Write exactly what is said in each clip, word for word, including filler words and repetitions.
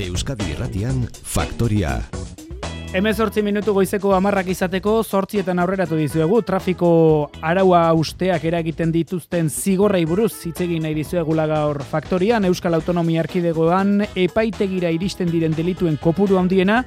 Euskadi Irratian Faktoria. Hemezortzi minutu goizeko hamarrak izateko zortzietan aurreratu dizuegu. Trafiko araua usteak eragiten dituzten zigorrei buruz hitz egin nahi dizuegula gaur Faktorian. Euskal Autonomia Erkidegoan epaitegira iristen diren delituen kopuru handiena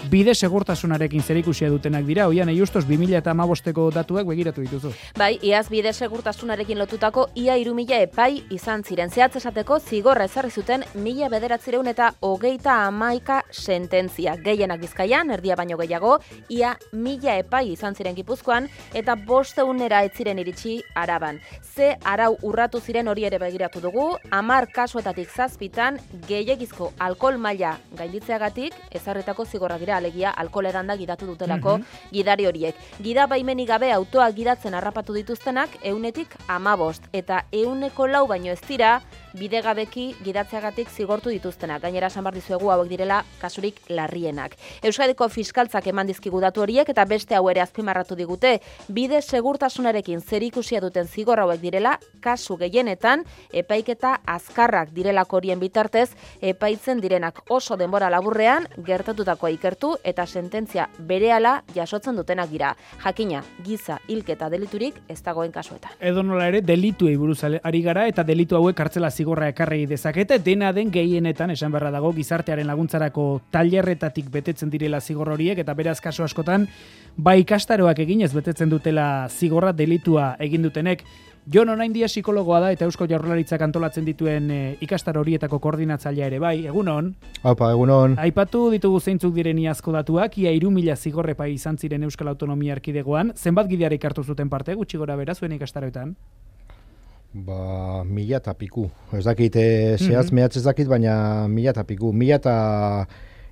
bide segurtasunarekin zerikusia dutenak dira. Oian, justos bi mila hamabosteko datuak begiratu dituzu. Bai, iaz bide segurtasunarekin lotutako ia hiru mila epai izan ziren. Zehatz esateko zigorra ezarri zuten mila bederatziehun eta hogeita hamaika sententzia. Gehienak Bizkaian, erdia baino gehiago, ia mila epai izan ziren Gipuzkoan eta bosteunera ez ziren iritsi Araban. Ze arau urratu ziren hori ere begiratu dugu, hamar kasuetatik zazpitan gehiegizko alkohol maila gainditzeagatik ezarritako zigorra dira, alegia alkohol edanda gidatu dutelako mm-hmm. gidari horiek. Gida baimenik gabe autoa gidatzen harrapatu dituztenak ehunetik hamabost eta ehuneko lau baino ez dira bidegabeki gidatzeagatik zigortu dituztenak. Gainera esan behar dizuegu hauek direla kasurik larrienak. Euskadiko fiskaltzak eman dizkigu datu horiek eta beste hau ere azpimarratu digute. Bide segurtasunarekin zerikusia duten zigor hauek direla kasu gehienetan epaiketa azkarrak direlako horien bitartez epaitzen direnak oso denbora laburrean gertatutakoa ikertu eta sententzia berehala jasotzen dutenak dira. Jakina, giza hilketa deliturik ez dagoen kasuetan. Edo nola ere delituei buruz ari gara eta delitu hauek kartzela zigorra ekarri dezakete, dena den gehienetan esan beharra dago gizartearen laguntzarako tailerretatik betetzen direla zigor horiek eta beraz kasu askotan bai ikastaroak eginez betetzen dutela zigorra delitua egin dutenek. Jon Onaindia psikologoa da eta Eusko Jaurlaritzak antolatzen dituen e, ikastaro horietako koordinatzailea ere bai. Egunon. Aupa, egunon. Aipatu ditugu zeintzuk diren iazko datuak, ia hiru mila zigorrepai izan ziren Euskal Autonomia Erkidegoan. Zenbat gidarik hartu zuten parte gutxi gora bera zuen ikastaroetan? Ba, mila eta piku. Ez dakit, e, zehaz mm-hmm. mehatz ez dakit, baina mila eta piku. Mila eta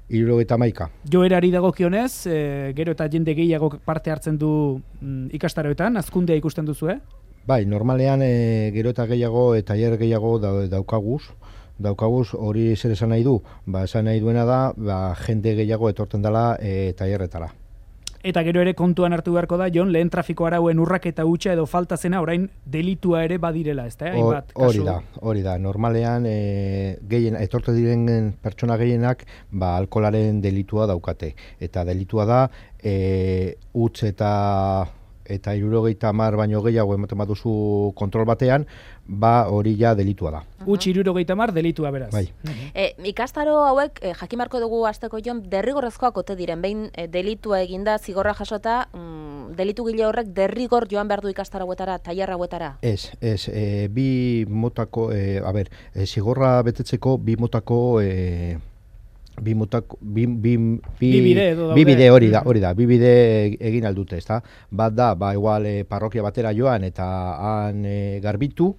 hirurogeita hamaika. Joerari dagokionez, e, gero eta jende gehiago parte hartzen du mm, ikastaroetan, hazkundea ikusten duzu, eh? Bai, normalean e, gero eta gehiago eta tailer gehiago da, daukaguz. Daukaguz hori zer esan nahi du? Ba, esan nahi duena da, ba, jende gehiago etortzen dela e, tailerretara. Eta gero ere kontuan hartu beharko da, Jon, lehen trafiko arauen urraketa hutsa edo falta zena orain delitua ere badirela, ezta? Hainbat kasu. Hori da, hori da. Normalean e, gehien etorte diren pertsona gehienak ba alkoholaren delitua daukate eta delitua da e, huts eta eta hirurogeita hamar baino gehiago ematen baduzu kontrol batean, ba hori ja delitua da. Huts hirurogeita hamar delitua beraz. Bai. E, ikastaro hauek e, jakimarko dugu hasteko Jon derrigorrezkoak ote diren. Behin e, delitua eginda zigorra jasota, mm, delitu gile horrek derrigor joan behar du ikastaro hauetara, tailer hauetara. Ez, ez, e, bi motako, e, a ber, e, zigorra betetzeko bi motako e, Bi, motako, bi, bi, bi, bi bide edo daude. Bi bide hori da, hori da, bi bide egin aldute, ezta? Bat da, ba, igual e, parrokia batera joan eta han e, garbitu,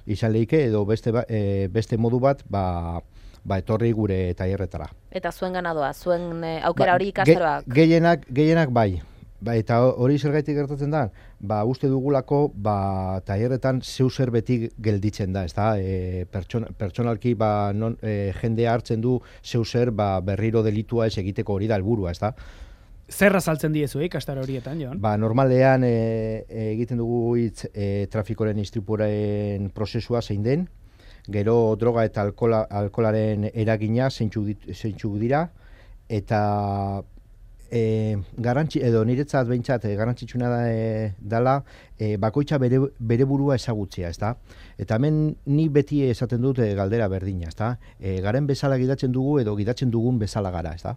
izan lehike, edo beste, e, beste modu bat, ba, ba etorri gure tailerretara. Eta zuen ganadoa, zuen e, aukera hori ba, ikastaroak? Ge, gehienak, gehienak bai. Ba, eta hori zergaitik gertatzen da, ba, uste dugulako, ba, tailerretan zeu zer beti gelditzen da, ezta? E, pertson, pertsonalki, ba, non, e, jendea hartzen du zeu zer, ba, berriro delitua ez egiteko hori da helburua, ezta? Zerra saltzen diezu, eh, ikastaro horietan, Jon? Ba, normalean e, egiten dugu hitz e, trafikoren istripuaren prozesua zein den, gero droga eta alkola, alkolaren eragina zeintzuk dira, eta E, garantzi, edo niretzat behintzat e, garantzitsuna da, e, dala e, bakoitza bere, bere burua ezagutzea, ezta? Eta hemen ni beti esaten dut e, galdera berdina, ezta? E, garen bezala gidatzen dugu edo gidatzen dugun bezala gara, ezta?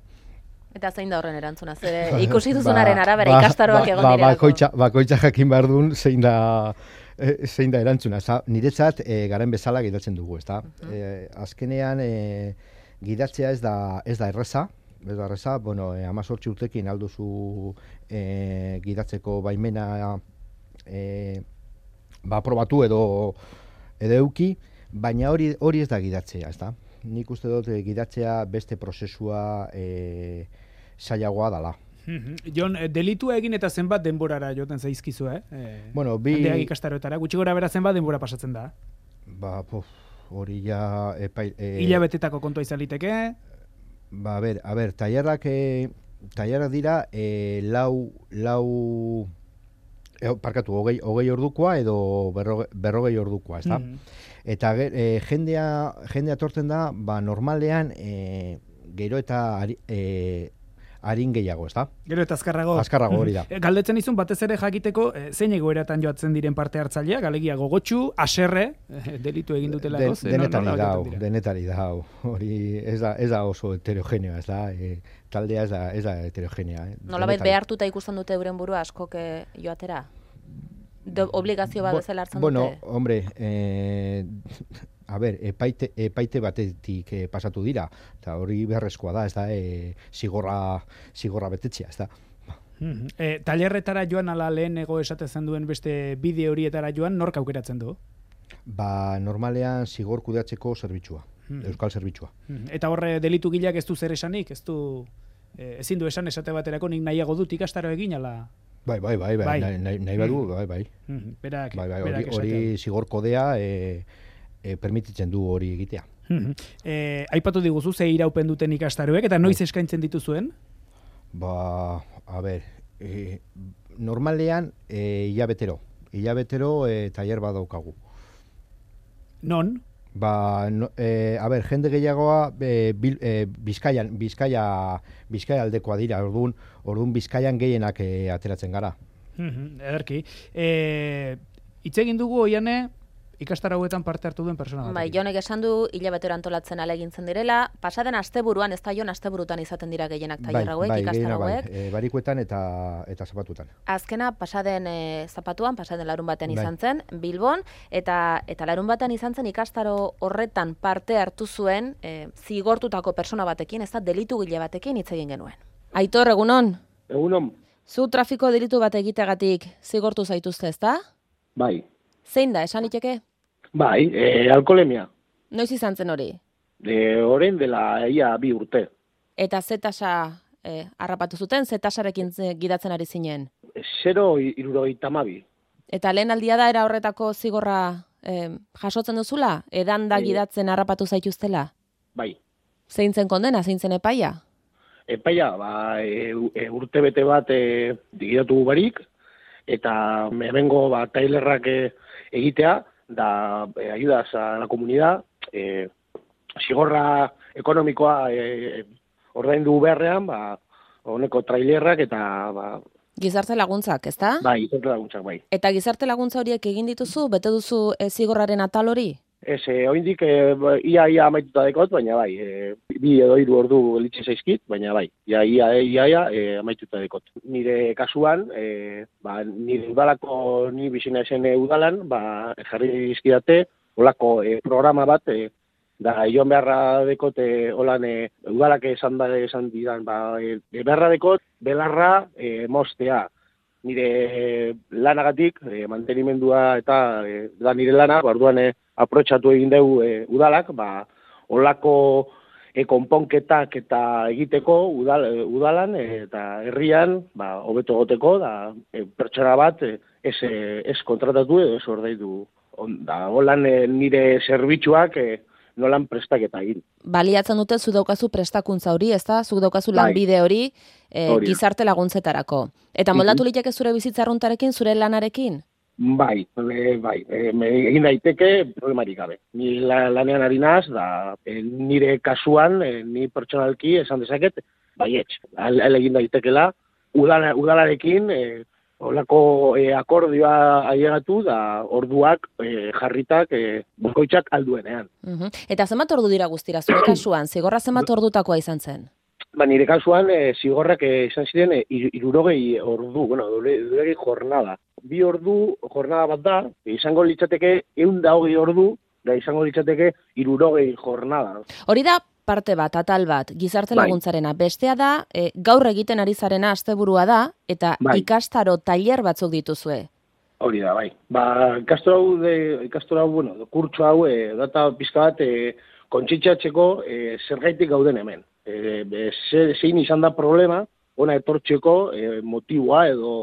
Eta zein da horren erantzuna? Zer ikusi duzunaren ba, arabera ba, ikastaroak ba, egon ba, direlako? Bakoitza, bakoitza jakin behar duen zein da, e, zein da erantzuna, ezta? Niretzat e, garen bezala gidatzen dugu, ezta? Uh-huh. e, azkenean e, gidatzea ez da, ez da erreza, Ez da erreza, bueno, eh, amazortzi urtekin alduzu eh, gidatzeko baimena eh, ba, aprobatu edo edo euki, baina hori hori ez da gidatzea, ezta? Nik uste dut eh, gidatzea beste prozesua eh, zailagoa dela. Jon, delitua egin eta zenbat denborara joten zaizkizu, eh? E, bueno, bi... Handeak ikastaroetara, gutxi gora bera zenbat denbora pasatzen da? Ba, pof, hori ja... Epai, e... Hilabetetako kontua izan liteke? Ba, a ber, a ber, tailerrak, e, tailerrak dira e, lau, lau, e, parkatu, hogei, hogei ordukoa edo berroge, berrogei ordukoa, ez da? Mm. Eta e, jendea, jendea tortzen da, ba, normalean, e, gero eta ari, e, arin gehiago, ez da? Gero eta azkarrago. Azkarrago hori da. Galdetzen izun batez ere jakiteko e, zein egoeratan joatzen diren parte hartzaileak, alegia gogotsu, haserre, e, delitu egin dutelako. Den, denetari da, denetari da, hori ez da, ez da oso heterogeneoa, ez da, e, taldea ez da, ez da heterogenea. Eh? Nolabait behartuta ikusten dute euren burua askok joatera? Do, obligazio bat bezala hartzen bueno, dute? Bueno, hombre, eh, a ber, epaite, epaite batetik eh, pasatu dira, eta hori beharrezkoa da, ez da, eh, zigorra, zigorra betetzea, ez da. Mm-hmm. E, tailerretara joan ala lehenego esatezen duen beste bide horietara joan, nork aukeratzen du? Ba, normalean zigor kudeatzeko zerbitzua, mm-hmm. euskal zerbitzua. Mm-hmm. Eta horre delitu gileak ez du zer esanik, ez du, e, ezin du esan esate baterako nik nahiago dut ikastaro egin, ala... Bai, bai, bai, bai, bai. nahi, nahi badu, bai, bai. Mm-hmm. Berak, bai, bai, berak hori, hori zigor kodea e, e, permititzen du hori egitea. Mm-hmm. E, aipatu diguzu, ze iraupen duten ikastaroek, eta noiz eskaintzen dituzuen? Ba, a ber, e, normalean e, hilabetero, hilabetero e, tailer bat daukagu. Non? Ba, no, e, a ber, jende gehiagoa e, bil, e, Bizkaian, Bizkaia, Bizkaia aldekoa dira, orduan, orduan Bizkaian gehienak e, ateratzen gara. Mm-hmm, ederki. E, Itz egin dugu oiane ikastaro hauetan parte hartu duen persona bat. Bai, Jonek esan du hilabetero antolatzen alegintzen direla, pasaden asteburuan, ez da Jon asteburutan izaten dira gehienak tailer hauek, bai, ikastaro hauek. Bai, e, barikuetan eta eta zapatutan. Azkena pasaden e, zapatuan, pasaden larun batean izan zen, Bilbon, eta eta larun batean izan zen ikastaro horretan parte hartu zuen e, zigortutako persona batekin, ez da delitu gile batekin hitz egin genuen. Aitor, egunon? Egunon. Zu trafiko delitu bat egiteagatik zigortu zaituzte, ez da? Bai. Zein da, esan iteke? Bai, e, alkoholemia. Noiz izan zen hori? E, Orain dela ia bi urte. Eta ze tasa e, harrapatu zuten, ze tasarekin gidatzen ari zinen? Zero hirurogeita hamabi. Eta lehen aldia da era horretako zigorra e, jasotzen duzula? Edan da E, gidatzen harrapatu zaituztela? Bai. Zein zen kondena, zein zen epaia? Epaia, ba, e, e, urte bete bat e, digidatu barik, eta hemengo ba, tailerrak e, egitea, da e, ayudas a la comunidad, e, zigorra ekonomikoa e, ordaindu beharrean, ba, honeko trailerrak eta... Ba, Gizarte laguntzak, ezta? bai, gizarte laguntzak, bai. Eta gizarte laguntza horiek egin dituzu, bete duzu e, zigorraren atal hori? Ez, e, oindik e, ia ia amaituta dekot, baina bai, e, bi edo hiru ordu gelitze zaizkit, baina bai, ia ia ia, ia e, amaituta dekot. Nire kasuan, e, ba, nire udalako ni bizina esen udalan, ba, jarri dizkidate, olako e, programa bat, e, da joan beharra dekot, e, holan e, udalak esan da esan didan, ba, e, beharra dekot, belarra e, mostea. Nire lanagatik, e, mantenimendua eta e, da nire lana, barduan e, aprotxatu egin dugu e, udalak, ba, olako e, konponketak eta egiteko udal, e, udalan e, eta herrian, ba, hobeto goteko, da e, pertsona bat e, ez, e, ez kontratatu edo ez ordaitu. Da, holan e, nire zerbitzuak e, nolan prestaketa egin. Baliatzen dute zu daukazu prestakuntza hori, ezta? Zuk daukazu lanbide hori e, gizarte laguntzetarako. Eta moldatu liteke zure bizitza arruntarekin, zure lanarekin? Bai, e, bai, e, egin daiteke problemarik gabe. Ni la, lanean ari naz, da e, nire kasuan, e, ni pertsonalki esan dezaket, baietz, ala egin daitekela, udala, udalarekin, e, olako e, akordioa ailegatu da orduak e, jarritak e, bakoitzak alduenean. Uh-huh. Eta zenbat ordu dira guztira zure kasuan? Zigorra zenbat ordutakoa izan zen? Ba, nire kasuan e, zigorrak e, izan ziren e, irurogei ordu, bueno, irurogei jornada. Bi ordu jornada bat da, izango litzateke ehun eta hogei ordu, da izango litzateke irurogei jornada. Hori da parte bat, atal bat, gizarte laguntzarena. Bestea da, e, gaur egiten ari zarena asteburua da, eta bai. Ikastaro tailer batzuk dituzue. Hori da, bai. Ba, ikastaro hau, de, ikastaro hau, bueno, kurtso hau, e, data pizka bat, e, kontsitxatzeko e, zergaitik gauden hemen. E, e, zein izan da problema, ona etortzeko e, motiboa edo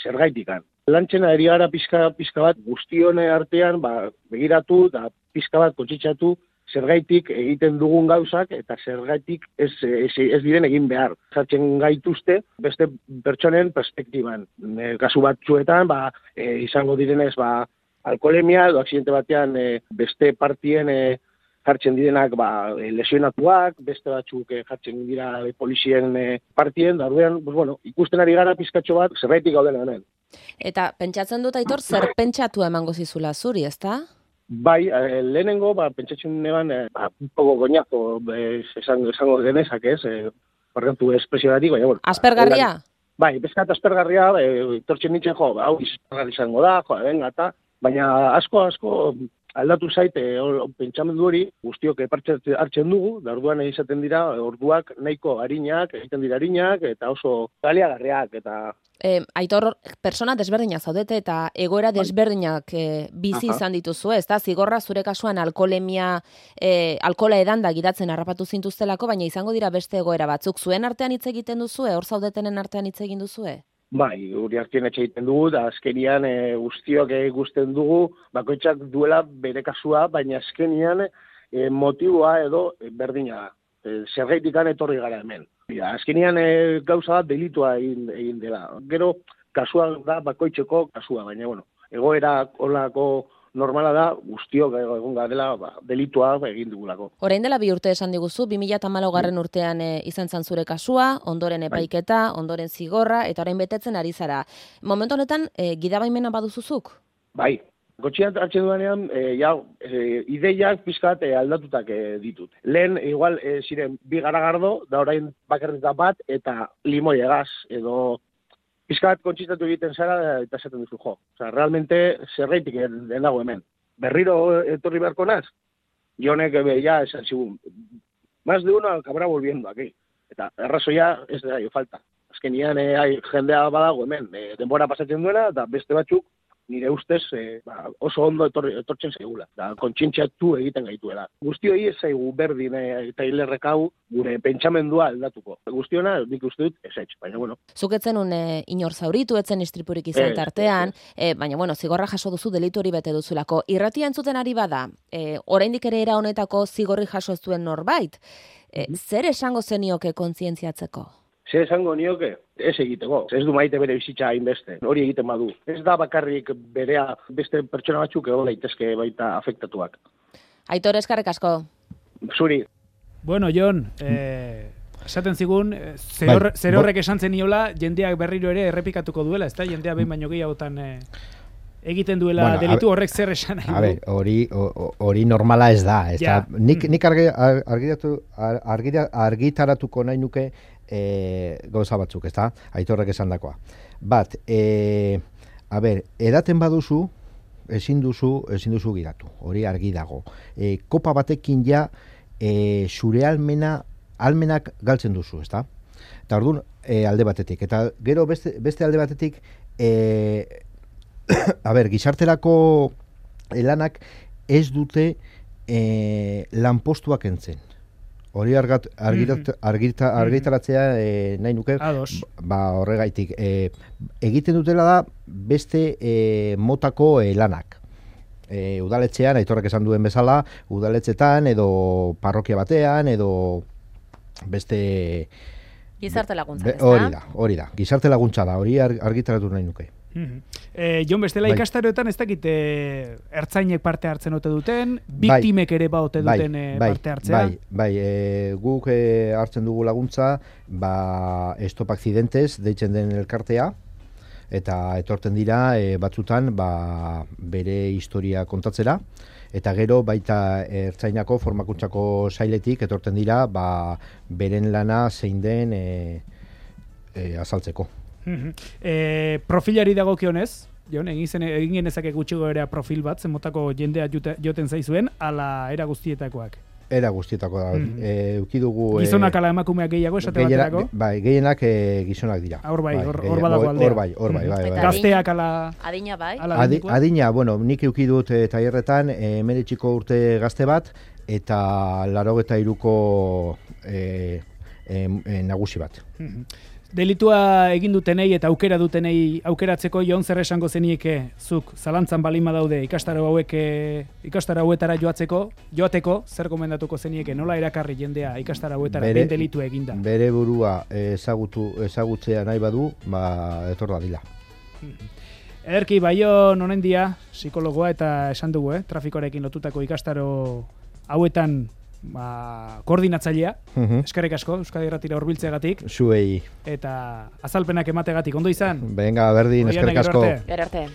zergaitikan. Lantzena eri gara pizka, pizka bat guztione artean ba, begiratu eta pizka bat kontsitxatu zergaitik egiten dugun gauzak eta zergaitik ez, ez, ez diren egin behar. Jartzen gaituzte beste pertsonen perspektiban. E, kasu batzuetan ba, e, izango direnez ba, alkoholemia edo aksidente batean e, beste partien e, jartzen direnak ba, lesionatuak, beste batzuk eh, jartzen dira eh, polizien eh, partien, da orduan, pues, bueno, ikusten ari gara pizkatxo bat, zerbaitik gauden hemen. Eta pentsatzen dut, Aitor, zer pentsatu emango zizula zuri, ezta? Bai, eh, lehenengo, ba, pentsatzen neban, eh, ba, un poco goñazo, eh, esango, esango genezak ez, eh, barrentu espresionatik, baina, bueno. Aspergarria? Bai, bezkat aspergarria, eh, tortzen nintzen, jo, hau izpergarri izango da, jo, venga, eta, baina asko, asko, aldatu zaite pentsamendu hori, guztiok parte hartzen dugu, da orduan izaten dira orduak nahiko arinak, egiten dira arinak, eta oso baliagarriak, eta... E, Aitor, persona desberdinak zaudete eta egoera desberdinak e, bizi Aha. izan dituzu, ez da? Zigorra zure kasuan alkolemia, e, alkola edanda gidatzen harrapatu zintuztelako, baina izango dira beste egoera batzuk. Zuen artean hitz egiten duzue, hor zaudetenen artean hitz egin duzue? Bai, guri artean etxe egiten dugu, da azkenian e, guztiok ikusten dugu, bakoitzak duela bere kasua, baina azkenian e, motiboa edo berdina da. E, Zergaitikan etorri gara hemen. Ja, azkenian e, gauza bat delitua egin, egin dela. Gero, kasua da bakoitzeko kasua, baina, bueno, egoera olako normala da, guztiok egon dela ba, delitua egin dugulako. Orain dela bi urte esan diguzu, bi mila hamalaugarren urtean e, izan zan zure kasua, ondoren epaiketa, ondoren zigorra, eta orain betetzen ari zara. Momentu honetan, e, gidabaimena baduzuzuk? Bai, gotxian hartzen duanean, e, ja, e, ideiak pizkat e, aldatutak e, ditut. Lehen, igual, e, ziren, bi garagardo, da orain bakarretan bat, eta limoi egaz, edo pizkat kontzistatu egiten zara eta esaten duzu jo. Osa, realmente zerreitik den dago hemen. Berriro etorri beharko naz, jonek ja esan zigun. Más de uno acabará volviendo aquí. Eta errazoia ez da jo falta. Azkenian eh, jendea badago hemen, eh, denbora pasatzen duena, eta beste batzuk, nire ustez eh, ba, oso ondo etorri, etortzen zaigula. Da, kontzientziatu egiten gaituela. Guztioi ez zaigu berdin eh, eta hilerrekau gure pentsamendua aldatuko. Guztiona, nik uste dut, ez etx, baina bueno. Zuketzen un eh, inor zauritu, etzen istripurik izan tartean, eh, baina bueno, zigorra jaso duzu delitu hori bete duzulako. Irratia entzuten ari bada, eh, oraindik ere era honetako zigorri jaso ez duen norbait, eh, mm-hmm. zer esango zenioke kontzientziatzeko? Zer esango nioke, ez egiteko. Ez du maite bere bizitza hainbeste. Hori egiten badu. Ez da bakarrik berea beste pertsona batzuk egon daitezke baita afektatuak. Aitor, eskerrik asko. Zuri. Bueno, Jon, eh, esaten zigun, zer horrek bai, esan zeniola, jendeak berriro ere errepikatuko duela, ez da? Jendea behin baino gehiagotan eh, egiten duela bueno, delitu horrek zer esan nahi du. A ber, hori, hori normala ez da. Ez ja. da nik, nik argi, argitatu, argita, argitaratuko nahi nuke E, gauza batzuk, ez da? Aitorrek esan dakoa. Bat, e, a ber, edaten baduzu, ezin duzu, ezin duzu giratu. Hori argi dago. E, kopa batekin ja, e, zure almena, almenak galtzen duzu, ez da? Eta orduan, e, alde batetik. Eta gero beste, beste alde batetik, e, a ber, gizarterako lanak ez dute e, lanpostuak entzen. Hori argat, argitat, argita, argitaratzea e, nahi nuke, ba, horregaitik. E, egiten dutela da beste e, motako e, lanak. E, udaletxean, Aitorrek esan duen bezala, udaletxetan edo parrokia batean, edo beste... Gizarte laguntza, ez da? Hori da, hori da. Gizarte laguntza da, hori argitaratu nahi nuke. Mm-hmm. Eh, Jon, bestela bai. Ikastaroetan ez dakit eh, ertzainek parte hartzen ote duten, biktimek bai. ere ba ote duten bai. bai. parte hartzea. Bai, bai, e, guk e, hartzen dugu laguntza, ba, Stop Accidentes deitzen den elkartea, eta etorten dira e, batzutan ba, bere historia kontatzera, eta gero baita ertzainako formakuntzako sailetik etorten dira ba, beren lana zein den e, e, azaltzeko. Mm-hmm. E, profilari dagokionez, Jon, egin zen egin genezake gutxi goera profil bat, zen motako jendea jute, joten zaizuen, ala era guztietakoak. Era guztietako da. Mm-hmm. E, ukidugu gizonak ala emakumeak gehiago esate gehiena, baterako? Bai, gehienak e, gizonak dira. Hor bai, hor bai, badago aldea. Hor bai, hor bai, bai, bai. Gazteak ala adina bai. Adi, adina, bueno, nik ukidut e, tailerretan hemeretziko urte gazte bat eta laurogeita hiruko e, e, e, nagusi bat. Mm-hmm. Delitua egin dutenei eta aukera dutenei aukeratzeko Jon zer esango zenieke zuk zalantzan balima daude ikastaro hauek ikastaro hauetara joatzeko, joateko zer gomendatuko zenieke, nola erakarri jendea ikastaro hauetara behin delitu eginda. Bere burua ezagutu ezagutzea nahi badu, ba etor dadila. Ederki Baion honendia psikologoa eta esan dugu, eh, trafikoarekin lotutako ikastaro hauetan ba, koordinatzailea, Mhm. eskerrik asko, Euskadi Irratira hurbiltzeagatik, Zuei. eta azalpenak emategatik, ondo izan? Venga, berdin, Oianek, eskerrik gero asko. arte. Gero arte.